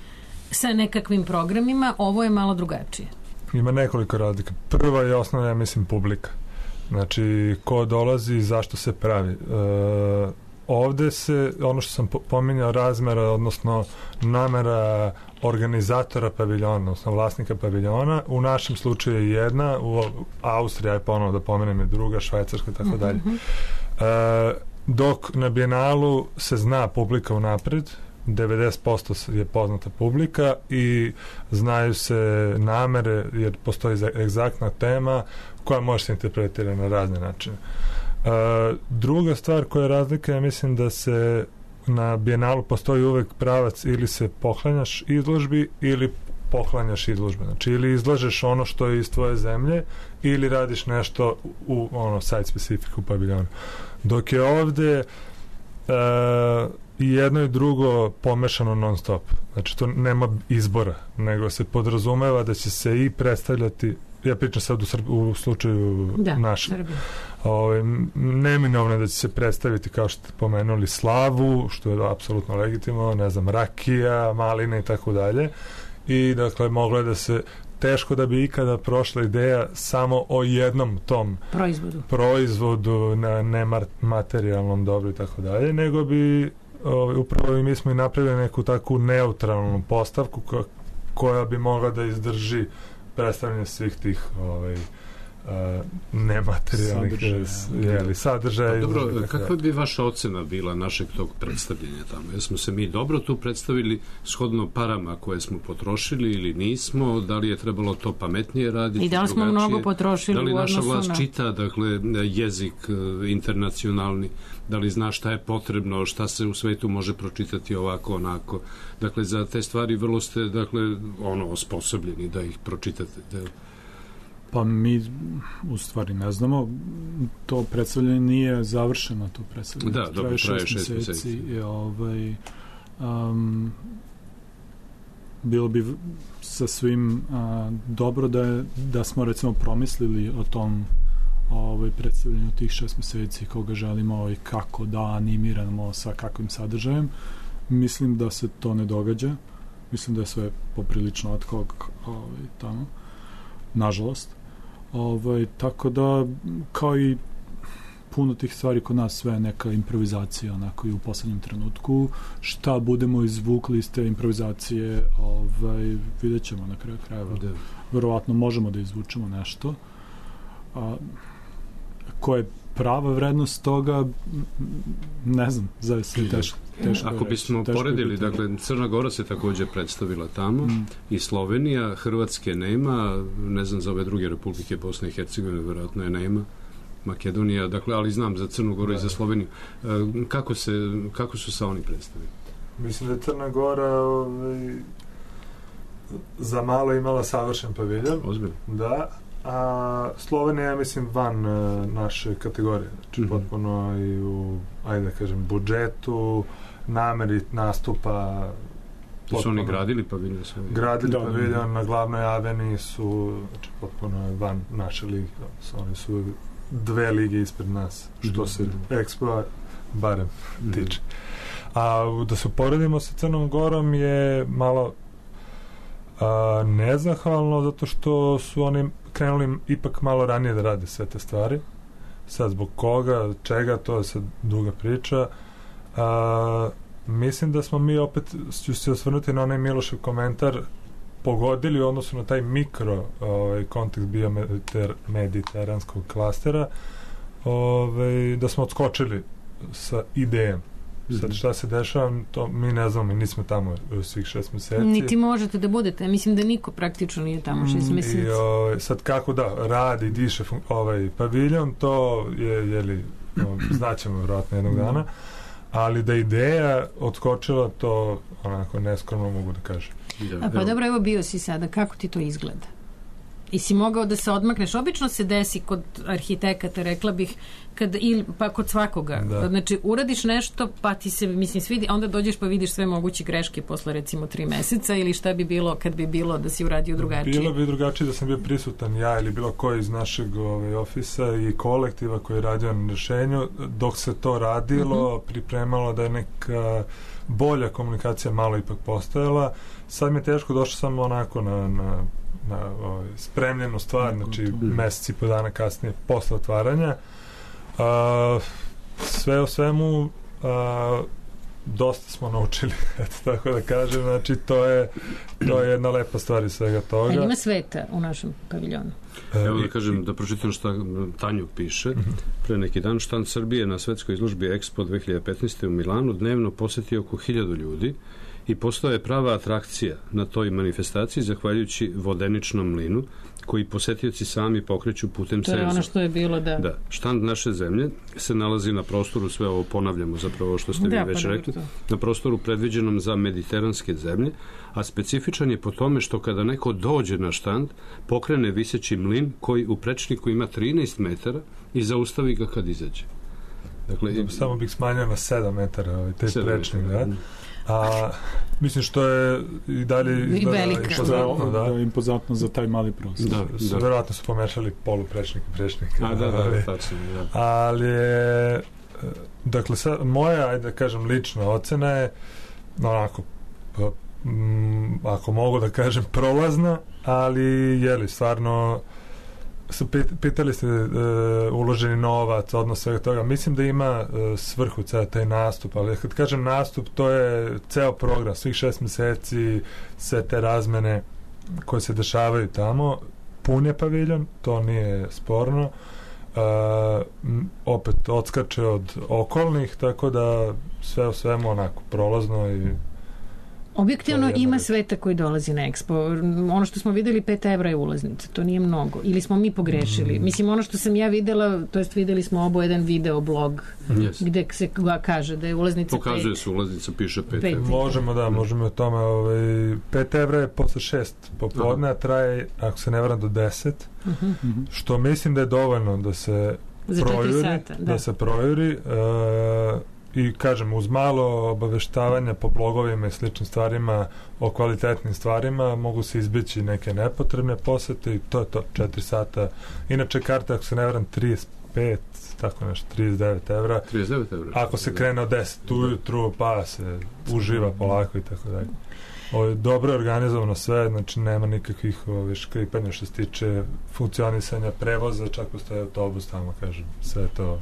S2: sa nekakvim programima. Ovo je malo drugačije.
S5: Ima nekoliko razlika. Prva je osnovna, ja mislim, publika. Znači, ko dolazi i zašto se pravi. Ovde se, ono što sam pominjao, razmera, odnosno namera organizatora paviljona, odnosno vlasnika paviljona, u našem slučaju je jedna, u Austriji, aj ponovno da pomenem, je druga, Švajcarska, tako dalje. Dok na Bijenalu se zna publika unapred, 90% je poznata publika i znaju se namere, jer postoji egzaktna tema koja može se interpretirati na razne načine. Druga stvar koja je razlika, ja mislim da se na Bijenalu postoji uvek pravac ili se poklanjaš izložbi ili poklanjaš izložbe. Znači, ili izlažeš ono što je iz tvoje zemlje ili radiš nešto u site specific u paviljonu. Dok je ovde i jedno i drugo pomešano non stop. Znači, to nema izbora, nego se podrazumeva da će se i predstavljati, ja pričam sad u slučaju našem, neminovno da će se predstaviti, kao što ste pomenuli, slavu, što je apsolutno legitimno, ne znam, rakija, maline i tako dalje. I, dakle, moglo je da se teško da bi ikada prošla ideja samo o jednom tom proizvodu na nematerijalnom dobru i tako dalje, nego bi upravo i mi smo i napravili neku takvu neutralnu postavku koja bi mogla da izdrži predstavljanje svih tih nematerijalnih sadržaja.
S3: Dobro, kakva bi vaša ocena bila našeg tog predstavljanja tamo? Jesmo se mi dobro tu predstavili shodno parama koje smo potrošili ili nismo? Da li je trebalo to pametnije raditi?
S2: I da li smo mnogo potrošili u odnosu na...
S3: Da li naša vlast čita, dakle, jezik internacionalni? Da li zna šta je potrebno, šta se u svetu može pročitati ovako, onako? Dakle, za te stvari vrlo ste, dakle, osposobljeni da ih pročitate.
S1: Pa mi u stvari ne znamo, to predstavljanje nije završeno, to predstavljanje
S3: traje 6 meseci.
S1: Bilo bi sa svim dobro da smo recimo promislili o tom predstavljanju tih 6 meseci, koga želimo i kako da animiramo, sa kakvim sadržajem. Mislim da se to ne događa, mislim da je sve poprilično ad hoc tamo, nažalost. Tako da, kao i puno tih stvari kod nas, sve je neka improvizacija onako i u poslednjem trenutku. Šta budemo izvukli iz te improvizacije, vidjet ćemo na kraju krajeva. Verovatno možemo da izvučemo nešto. Ko je prava vrednost toga, ne znam, zavisno teško.
S3: Ako bismo poredili, dakle, Crna Gora se također predstavila tamo i Slovenija, Hrvatske nema, ne znam za ove druge republike, Bosne i Hercegovine verovatno je nema, Makedonija, dakle, ali znam za Crnu Goru i za Sloveniju. Kako su se oni predstavili?
S5: Mislim da je Crna Gora za malo imala savršen paviljon.
S3: Ozbiljno.
S5: Da, a Slovenija je, mislim, van naše kategorije. Znači, potpuno i u, ajde da kažem, budžetu, nameri nastupa.
S3: Su oni gradili paviljon?
S5: Gradili paviljon na glavnoj aveni su, znači, potpuno van naše lige. Oni su 2 lige ispred nas, što se Expo barem tiče. A da se uporedimo sa Crnom Gorom je malo nezahvalno, zato što su oni krenuli ipak malo ranije da rade sve te stvari. Sad zbog koga, čega, to je sad duga priča. Mislim da smo mi, opet ću se osvrnuti na onaj Milošev komentar, pogodili u odnosu na taj mikro kontekst biomediteranskog klastera, da smo odskočili sa idejom. Sad šta se dešava, to mi ne znamo, mi nismo tamo svih 6 meseci.
S2: Niti možete da budete, mislim da niko praktično nije tamo 6 meseci.
S5: I sad kako da radi, diše paviljon, to je znaćemo vjerojatno jednog dana, ali da ideja odskočila, to onako neskromno mogu da kažem.
S2: Pa dobro, evo bio si sada, kako ti to izgleda? I si mogao da se odmakneš? Obično se desi kod arhitekata, rekla bih, pa kod svakoga. Da. Znači, uradiš nešto, pa ti se, mislim, svidi, onda dođeš pa vidiš sve moguće greške posle, recimo, 3 meseca, ili šta bi bilo kad bi bilo da si uradio drugačije?
S5: Bilo bi drugačije da sam bio prisutan ja ili bilo koji iz našeg ofisa i kolektiva koji je radio na rešenju. Dok se to radilo, pripremalo da je neka bolja komunikacija malo ipak postojala. Sad mi je teško, došao sam onako na spremljenu stvar, znači meseci po dana kasnije posle otvaranja. Sve o svemu dosta smo naučili, eto tako da kažem, znači to je jedna lepa stvar iz svega toga.
S2: Ali ima sveta u našem paviljonu?
S3: Evo da kažem, da pročitam šta Tanjuk piše. Pre neki dan štand Srbije na svetskoj izložbi Expo 2015. u Milanu dnevno poseti oko 1000 ljudi i postao je prava atrakcija na toj manifestaciji zahvaljujući vodeničnom mlinu koji posetioci sami pokreću putem senzora.
S2: To je ono što je bilo, da.
S3: Da, štand naše zemlje se nalazi na prostoru, sve ovo ponavljamo zapravo što ste vi već rekli, na prostoru predviđenom za mediteranske zemlje, a specifičan je po tome što kada neko dođe na štand, pokrene viseći mlin koji u prečniku ima 13 metara i zaustavi ga kad izađe.
S5: Dakle, samo bih smanjio na 7 metara taj prečnik, da? A mislim što je i dalje
S1: impozantno za taj mali prostor.
S5: Verovatno su pomešali poluprečnik i prečnik.
S3: Tačno.
S5: Ali je, dakle, moja, ajde da kažem, lična ocena je onako, ako mogu da kažem, prolazna, ali stvarno pitali ste uloženi novac, odnos svega toga. Mislim da ima svrhu taj nastup, ali kad kažem nastup, to je ceo program, svih 6 meseci, sve te razmene koje se dešavaju tamo. Pun je paviljon, to nije sporno. Opet odskače od okolnih, tako da sve o svemu onako prolazno i
S2: objektivno ima sveta koji dolazi na Expo. Ono što smo videli, 5 evra je ulaznica. To nije mnogo. Ili smo mi pogrešili. Mislim, ono što sam ja videla, to jest videli smo obo jedan video blog gde se kaže da je ulaznica 5.
S3: Pokazuje se ulaznica, piše 5.
S5: Možemo o tome. 5 evra je posle 6 popodne, a traje, ako se ne varam, do 10. Što mislim da je dovoljno da se projuri. I kažem, uz malo obaveštavanja po blogovima i sličnim stvarima o kvalitetnim stvarima mogu se izbeći neke nepotrebne posete i to je to, 4 sata. Inače, karta, ako se ne varam, 35, tako nešto, 39 evra.
S3: 39 evra.
S5: Ako se krene od 10 ujutru, pa se uživa polako i tako dalje. Dobro je organizovano sve, znači nema nikakvih škripanja što se tiče funkcionisanja prevoza, čak postoje autobus tamo, kažem, sve to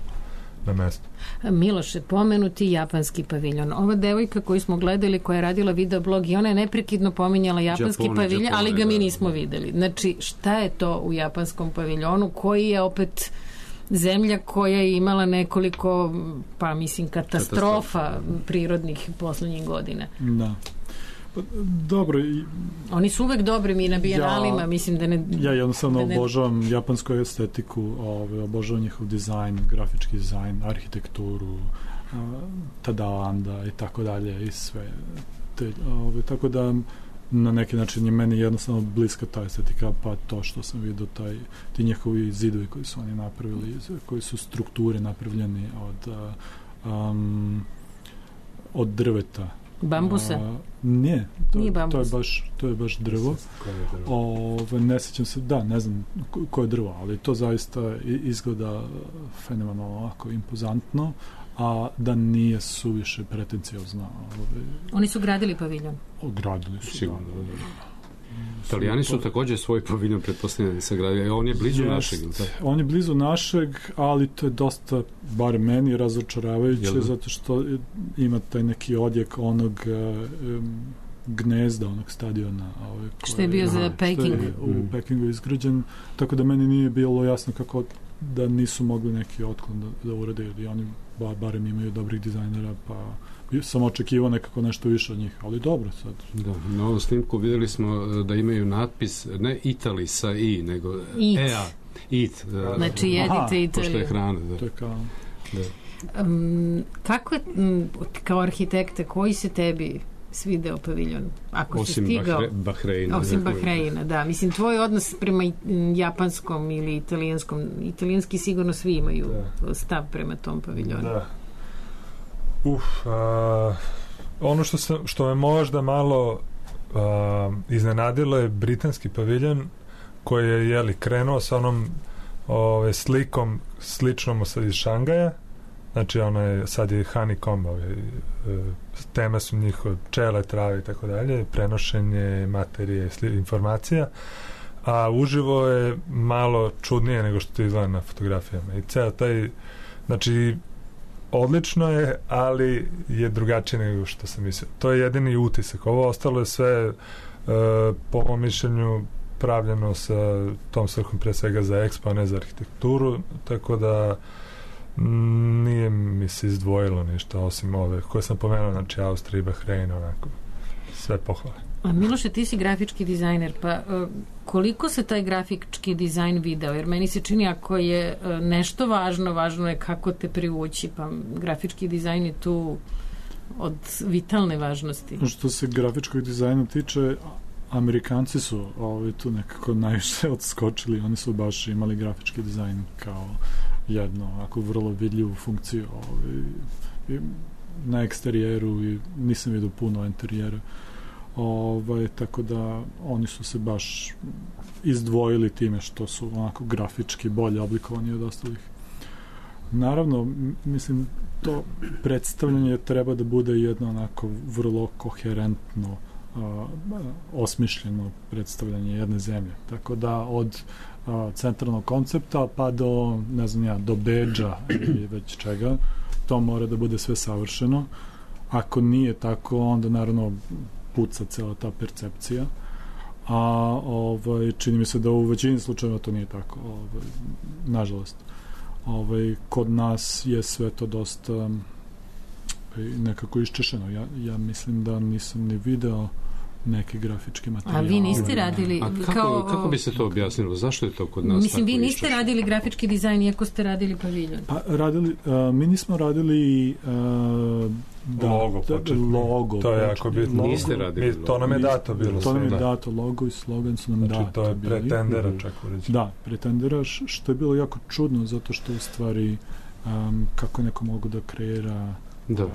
S5: na mestu.
S2: Miloše, pomenuti japanski paviljon. Ova devojka koju smo gledali, koja je radila videoblog, i ona je neprekidno pominjala japanski paviljon, ali ga mi nismo videli. Znači, šta je to u japanskom paviljonu, koji je opet zemlja koja je imala nekoliko, pa mislim, katastrofa prirodnih poslednjih godina.
S1: Da. Dobro.
S2: Oni su uvek dobri, mi na bijenalima, mislim da ne...
S1: Ja jednostavno obožavam japansku estetiku, obožavam njihov dizajn, grafički dizajn, arhitekturu, Tadanda i tako dalje i sve. Tako da na neki način je meni jednostavno bliska ta estetika, pa to što sam vidio, ti njihovi zidovi koji su oni napravili, koji su strukture napravljeni od drveta.
S2: Bambusa?
S1: Ne, to je baš drvo. Ne sjećam se, ne znam koje je drvo, ali to zaista izgleda fenomenalno, ovako impozantno, a da nije suviše pretenciozno.
S2: Oni su gradili paviljon?
S1: Gradili su, sigurno.
S3: Italijani su također svoj paviljon pretpostavljeni sagradili. On je blizu našeg.
S1: On je blizu našeg, ali to je dosta, bar meni, razočaravajuće, zato što ima taj neki odjek onog gnezda onog stadiona.
S2: Što je bio za Peking.
S1: Što je u Pekingu izgrađen, tako da meni nije bilo jasno kako da nisu mogli neki otklon da urade, ili oni barem imaju dobrih dizajnera, pa sam očekivao nekako nešto više od njih, ali dobro sad.
S3: Da, na ovom snimku vidjeli smo da imaju natpis, ne Italy sa I, nego EA. Eat.
S2: Znači jedite Italiju.
S3: Pošto je hrana. Da.
S1: To je kao...
S3: Da.
S2: Kako je, kao arhitekta, koji se tebi svideo paviljon? Ako
S3: osim
S2: si stigao,
S3: Bahreina.
S2: Osim Bahreina, da. Mislim, tvoj odnos prema japanskom ili italijanskom, italijanski sigurno svi imaju stav prema tom paviljonu.
S5: Da. Ono što me možda malo iznenadilo je britanski paviljon koji je krenuo sa onom slikom sličnom iz Šangaja. Znači sad je honeycomb, teme su njihove pčele, trave i tako dalje, prenošenje materije, informacija, a uživo je malo čudnije nego što to izgleda na fotografijama. I ceo taj, znači odlično je, ali je drugačije nego što sam mislio. To je jedini utisak. Ovo ostalo je sve po mom mišljenju pravljeno sa tom svrhom pre svega za Expo, a ne za arhitekturu, tako da nije mi se izdvojilo ništa osim ove koje sam pomenuo, znači Austrija i Bahrein, onako sve pohvale.
S2: A Miloše, ti si grafički dizajner, pa koliko se taj grafički dizajn video? Jer meni se čini, ako je nešto važno, važno je kako te privući, pa grafički dizajn je tu od vitalne važnosti.
S1: Što se grafičkog dizajna tiče, Amerikanci su tu nekako najviše odskočili, oni su baš imali grafički dizajn kao jedno, ako vrlo vidljivu funkciju na eksterijeru i nisam vidio puno interijera. Tako da oni su se baš izdvojili time što su onako grafički bolje oblikovani od ostalih. Naravno, mislim, to predstavljanje treba da bude jedno onako vrlo koherentno osmišljeno predstavljanje jedne zemlje. Tako da od centralnog koncepta pa do, ne znam ja, do bedža ili već čega, to mora da bude sve savršeno. Ako nije tako, onda naravno puca cela ta percepcija. A čini mi se da u većini slučajeva to nije tako. Nažalost. Kod nas je sve to dosta nekako iščešeno. Ja mislim da nisam ni video neke grafičke materijale.
S2: A vi niste radili...
S3: Kako bi se to objasnilo? Zašto je to kod nas
S2: mislim, vi niste radili grafički dizajn iako ste radili paviljon?
S1: Pa mi nismo radili logo.
S5: To je jako bitno.
S3: Niste radili logo.
S5: To nam je dato bilo.
S1: To nam je dato, logo i slogan su nam dati.
S5: Znači, to je pretendera čak ureći.
S1: Da, pretendera, što je bilo jako čudno, zato što u stvari kako neko mogu da kreira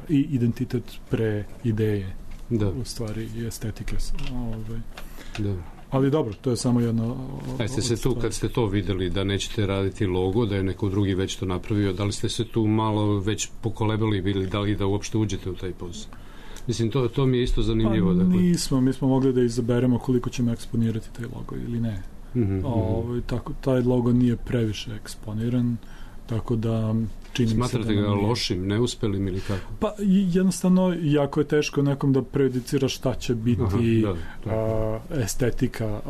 S1: i identitet pre ideje. Da. U stvari i estetike.
S3: Da.
S1: Ali dobro, to je samo jedno...
S3: Jeste se tu, kad ste to videli da nećete raditi logo, da je neko drugi već to napravio, da li ste se tu malo već pokolebali ili da li da uopšte uđete u taj posao? Mislim, to mi je isto zanimljivo.
S1: Pa nismo, mi smo mogli da izaberemo koliko ćemo eksponirati taj logo ili ne. Tako, taj logo nije previše eksponiran, tako da
S3: smatrate ga lošim, neuspelim ili kako?
S1: Pa jednostavno jako je teško nekom da prejudicira šta će biti estetika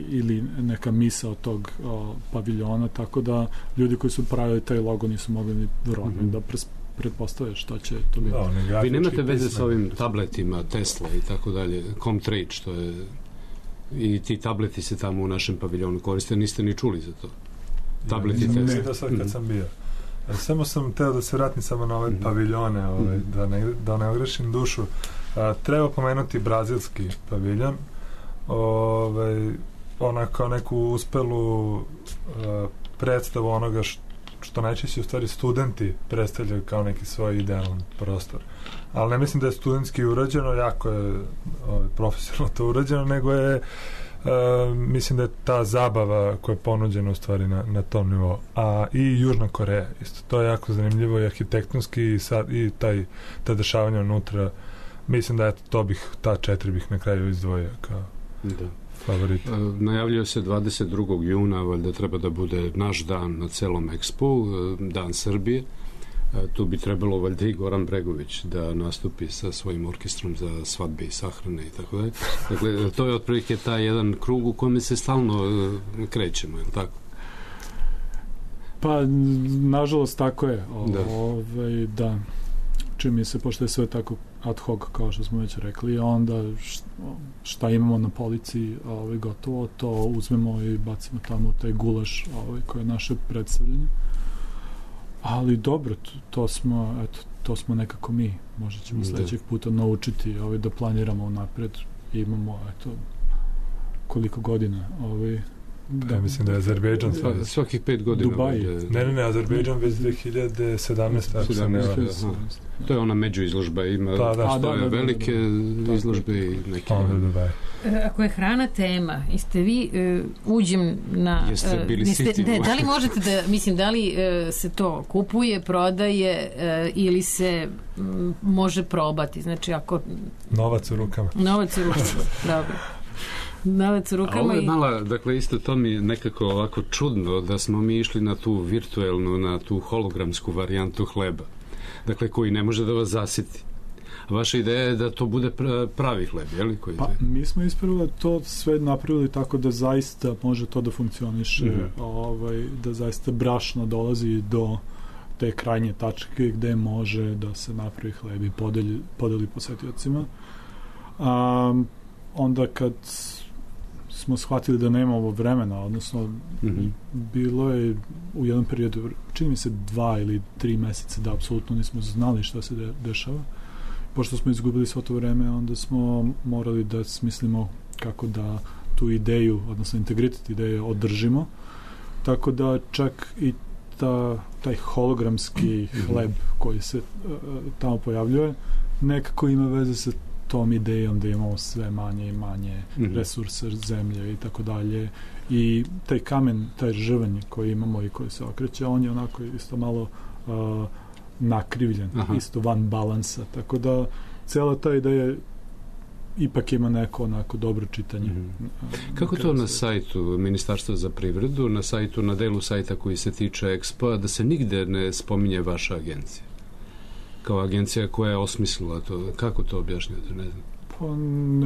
S1: ili neka misao tog paviljona, tako da ljudi koji su pravili taj logo nisu mogli ni verovatno da pretpostavljaju šta će to biti.
S3: Vi nemate veze sa ovim tabletima Tesla i tako dalje, Comtrade, što je i ti tableti se tamo u našem paviljonu koriste, niste ni čuli za to? Tableti Tesla.
S5: Ne, da sad kad sam bio. Samo sam teo da se vratim samo na ove paviljone, da ne ogrešim dušu. Treba pomenuti brazilski paviljon, kao neku uspelu predstavu onoga što najčešće u stvari studenti predstavljaju kao neki svoj idealan prostor. Ali ne mislim da je studentski urađeno, jako je profesionalno to urađeno, nego je mislim da je ta zabava koja je ponuđena u stvari na tom nivou. A i Južna Koreja isto. To je jako zanimljivo i arhitektonski i ta dešavanja unutra. Mislim da ta 4 bih na kraju izdvojio kao favorit.
S3: Najavljuje se 22. juna, valjda treba da bude naš dan na celom Expo, dan Srbije. Tu bi trebalo valjda i Goran Bregović da nastupi sa svojim orkestrom za svadbe i sahrane i tako dalje. Dakle, to je otprilike taj jedan krug u kojem se stalno krećemo, je li tako?
S1: Pa, nažalost, tako je. Da. Čini mi se, pošto je sve tako ad hoc, kao što smo već rekli, onda šta imamo na polici, gotovo, to uzmemo i bacimo tamo u taj gulaš koje je naše predstavljanje. Ali dobro, to smo nekako mi. Možda ćemo sledećeg puta naučiti da planiramo napred. Imamo, koliko godina
S5: Da, mislim da je Azerbejdžan
S3: svakih 5 godina.
S5: Dubaj. Ne, Azerbejdžan već 2017.
S3: To je ona međuizložba, ima velike izložbe i neke.
S2: Ako je hrana tema, jeste vi uđem na...
S3: Jeste bili siti?
S2: Da li možete da, mislim, da li se to kupuje, prodaje ili se može probati? Znači, ako...
S5: Novac u rukama.
S2: Dobro. Navac u rukama.
S3: A ovo je mala, dakle, isto to mi je nekako ovako čudno da smo mi išli na tu virtuelnu, na tu hologramsku varijantu hleba. Dakle, koji ne može da vas zasiti. Vaša ideja je da to bude pravi hleb, je li?
S1: Pa, mi smo ispravo to sve napravili tako da zaista može to da funkcioniše, da zaista brašno dolazi do te krajnje tačke gde može da se napravi hleb i podeli posetiocima. Onda kad smo shvatili da nemamo vremena, odnosno bilo je u jednom periodu, čini mi se 2 ili 3 meseca da apsolutno nismo znali šta se dešava. Pošto smo izgubili svo to vreme, onda smo morali da smislimo kako da tu ideju, odnosno integritet ideje održimo. Tako da čak i taj hologramski hleb koji se tamo pojavljuje nekako ima veze sa tom idejom da imamo sve manje i manje resurse zemlje i tako dalje. I taj kamen, taj žrvanj koji imamo i koji se okreće, on je onako isto malo nakrivljen, isto van balansa. Tako da cela ta ideja ipak ima neko onako dobro čitanje.
S3: Kako to na sajtu Ministarstva za privredu, na delu sajta koji se tiče Expo-a, da se nigde ne spominje vaša agencija? Kao agencija koja je osmislila to. Kako to objašnjate? Ne znam.
S1: Pa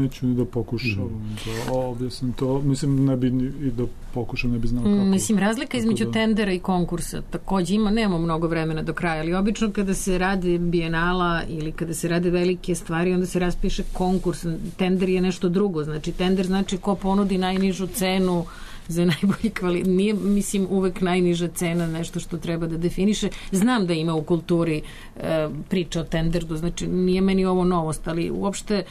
S1: neću ni da pokušam da objasnim to. Mislim, ne bi i da pokušam, ne bi znao kako.
S2: Mislim, razlika između tendera i konkursa takođe nemamo mnogo vremena do kraja, ali obično kada se radi bijenala ili kada se rade velike stvari, onda se raspiše konkurs. Tender je nešto drugo. Znači, tender znači ko ponudi najnižu cenu za najbolji kvalitet. Nije, mislim, uvek najniža cena nešto što treba da definiše. Znam da ima u kulturi priča o tenderu, znači nije meni ovo novost, ali uopšte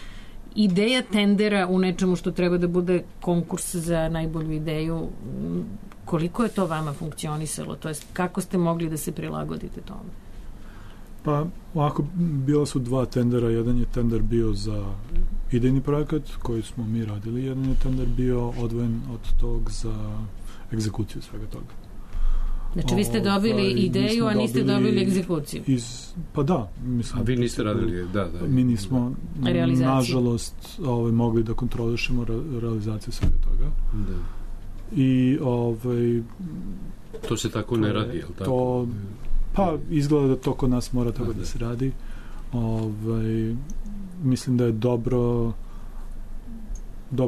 S2: ideja tendera u nečemu što treba da bude konkurs za najbolju ideju, koliko je to vama funkcionisalo? To jest, kako ste mogli da se prilagodite tome?
S1: Pa, ovako, bila su 2 tendera. Jedan je tender bio za idejni projekat koji smo mi radili, jedan je tender bio odvojen od tog za egzekuciju svega toga.
S2: Znači, vi ste dobili ideju, a niste dobili egzekuciju.
S1: Pa da. Mislim,
S3: a vi niste radili, da.
S1: Mi nismo, nažalost, mogli da kontrolišemo realizaciju svega toga.
S3: Da.
S1: I
S3: to se tako ne radi, je li tako?
S1: Pa, izgleda da to kod nas mora tako da se radi. Mislim da je dobro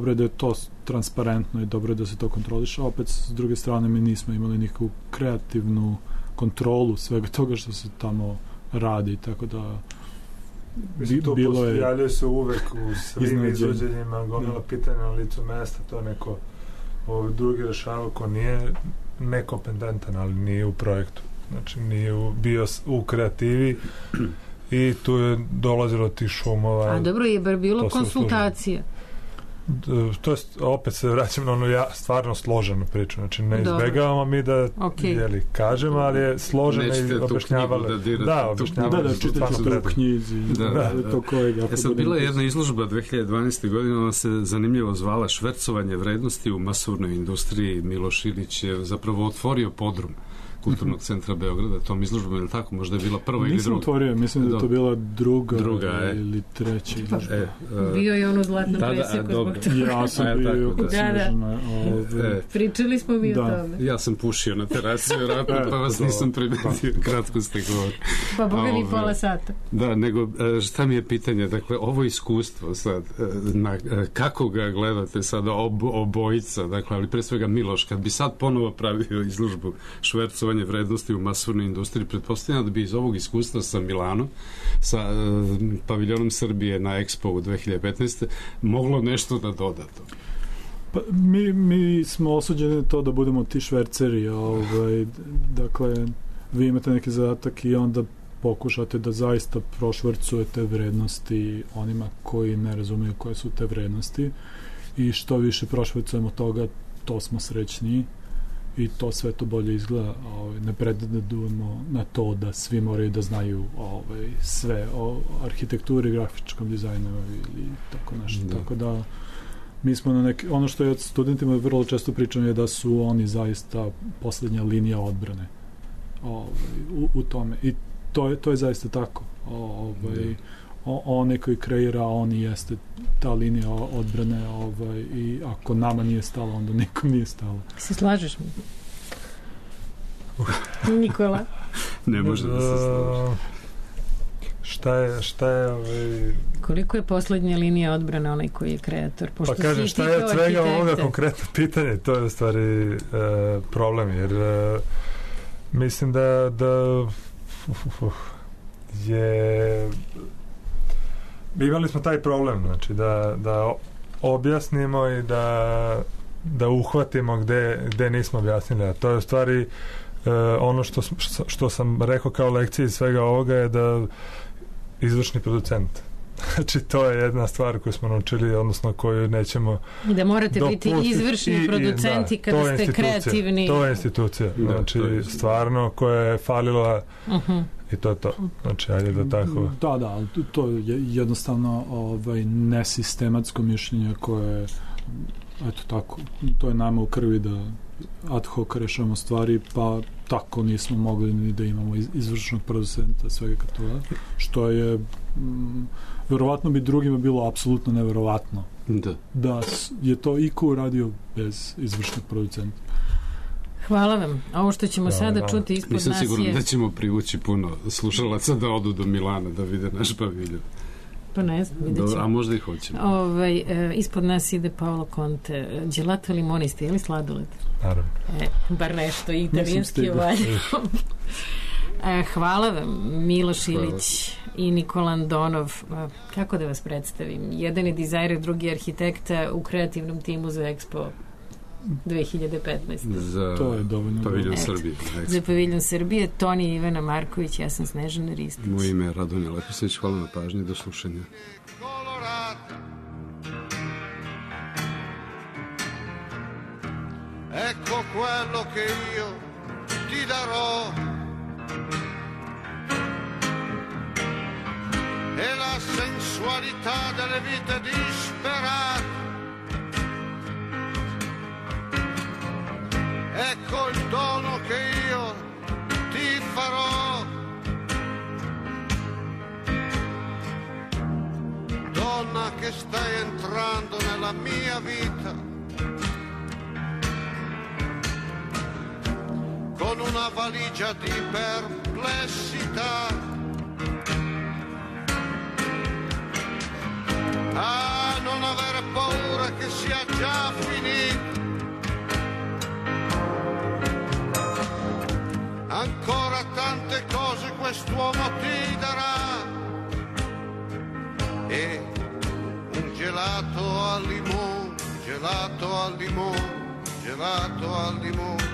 S1: je da je to transparentno i dobro je da se to kontroliše. Opet, s druge strane, mi nismo imali nikakvu kreativnu kontrolu svega toga što se tamo radi, tako da
S5: to javljaju se uvek u svim izvođenjima, gomila pitanja na licu mesta, to neko drugi rešava ko nije nekompetentan, ali nije u projektu. Znači, nije bio u kreativi i tu je dolazilo ti šumova.
S2: A dobro, je bar bilo konsultacije.
S5: To je, opet se vraćam na onu stvarno složenu priču. Znači, ne izbegavamo mi da kažemo, ali je složena i objašnjavali.
S1: Da, čitati to u knjizi.
S3: Sad bila je jedna izložba 2012. godine, ona se zanimljivo zvala Švercovanje vrednosti u masovnoj industriji. Miloš Ilić je zapravo otvorio podrum Kulturnog centra Beograda, tom izložbom, ili tako, možda je bila prva ili druga?
S1: Nisam otvorio, mislim da je to bila druga ili treća izložba.
S2: Bio je on u zlatnom presjeku zbog toga.
S1: Ja sam bio kod Snežana.
S2: Pričali smo mi o tome.
S3: Ja sam pušio na terasi, pa vas nisam primetio, kratko ste govorili.
S2: Pa boga mi pola sata.
S3: Da, nego šta mi je pitanje, dakle, ovo iskustvo sad, kako ga gledate sada obojica, dakle, ali pre svega Miloš, kad bi sad ponovo pravio izložbu švercovanje vrednosti u masovnoj industriji, pretpostavljam da bi iz ovog iskustva sa Milanom, sa paviljonom Srbije na Expo u 2015. moglo nešto da doda to.
S1: Pa, mi smo osuđeni to da budemo ti šverceri, dakle, vi imate neki zadatak i onda pokušate da zaista prošvrcujete vrednosti onima koji ne razumiju koje su te vrednosti i što više prošvrcujemo toga, to smo srećniji i to sve to bolje izgleda. Ne predadujemo na to da svi moraju da znaju sve o arhitekturi, grafičkom dizajnu ili tako nešto. Da. Tako da mi smo na ono što je studentima vrlo često pričam je da su oni zaista poslednja linija odbrane u tome. I to je zaista tako. Onaj koji kreira, on jeste ta linija odbrane i ako nama nije stalo, onda nikom nije stalo.
S2: Se slažeš mi? Nikola?
S3: Ne može da se slaže.
S5: Šta je
S2: Koliko je poslednja linija odbrane onaj koji je kreator?
S5: Pa kažem, šta je od svega ovoga konkretno pitanje? To je u stvari problem, jer mislim da je imali smo taj problem, znači da objasnimo i da uhvatimo gde nismo objasnili, a to je u stvari ono što sam rekao kao lekcija iz svega ovoga je da izvršni producent. Znači, to je jedna stvar koju smo naučili, odnosno koju nećemo
S2: da morate biti izvršni producenti kada ste kreativni.
S5: To je institucija. Znači, stvarno koja je falila i to je to. Znači, ajde da tako...
S1: Da, to je jednostavno nesistematsko mišljenje koje eto tako, to je nama u krvi da ad hoc rešavamo stvari, pa tako nismo mogli ni da imamo izvršnog producenta svega toga, što je verovatno bi drugima bilo apsolutno neverovatno da je to iko uradio bez izvršnog producenta.
S2: Hvala vam. Ovo što ćemo sada čuti ispod nas je...
S3: Nisam siguran da ćemo privući puno slušalaca da odu do Milana da vide naš paviljon.
S2: Pa ne znam, vidjet ćemo.
S3: A možda i hoćemo.
S2: Ispod nas ide Paolo Conte. Gelato limoniste, je li sladoled?
S5: Naravno.
S2: Bar nešto, italijanski valja. Hvala vam, Miloš Ilić i Nikola Andonov. Kako da vas predstavim? Jedan je dizajner, drugi arhitekta u kreativnom timu za Expo 2015.
S3: Za paviljon Srbije.
S2: Za paviljon Srbije. Toni i Ivana Marković, ja sam Snežana Ristić.
S3: Moje ime je Radonja Leposević, hvala na pažnji, do slušanja.
S7: Ecco quello che io ti darò e la sensualità delle vite disperate. Ecco il dono che io ti farò, donna che stai entrando nella mia vita, con una valigia di perplessità. Non avere paura che sia già finito. Ancora tante cose quest'uomo ti darà e un gelato al limone, gelato al limone, gelato al limone.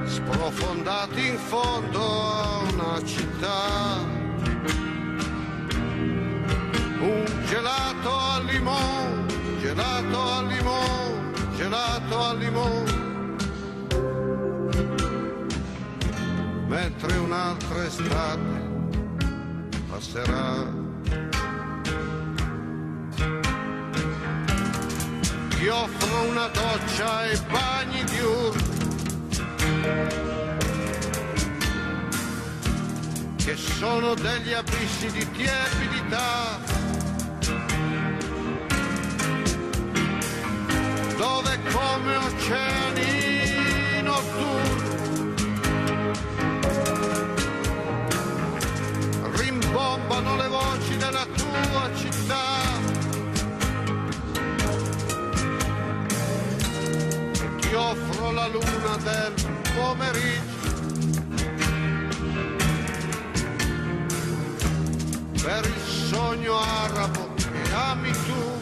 S7: Sprofondati in fondo a una città, un gelato al limone, gelato al limone, gelato al limone. Mentre un'altra estate passerà. Ti offro una doccia e bagni diurni, sono degli abissi di tiepidità, dove come oceani notturni rimbombano le voci della tua città. Ti offro la luna del pomeriggio per il sogno arabo che ami tu.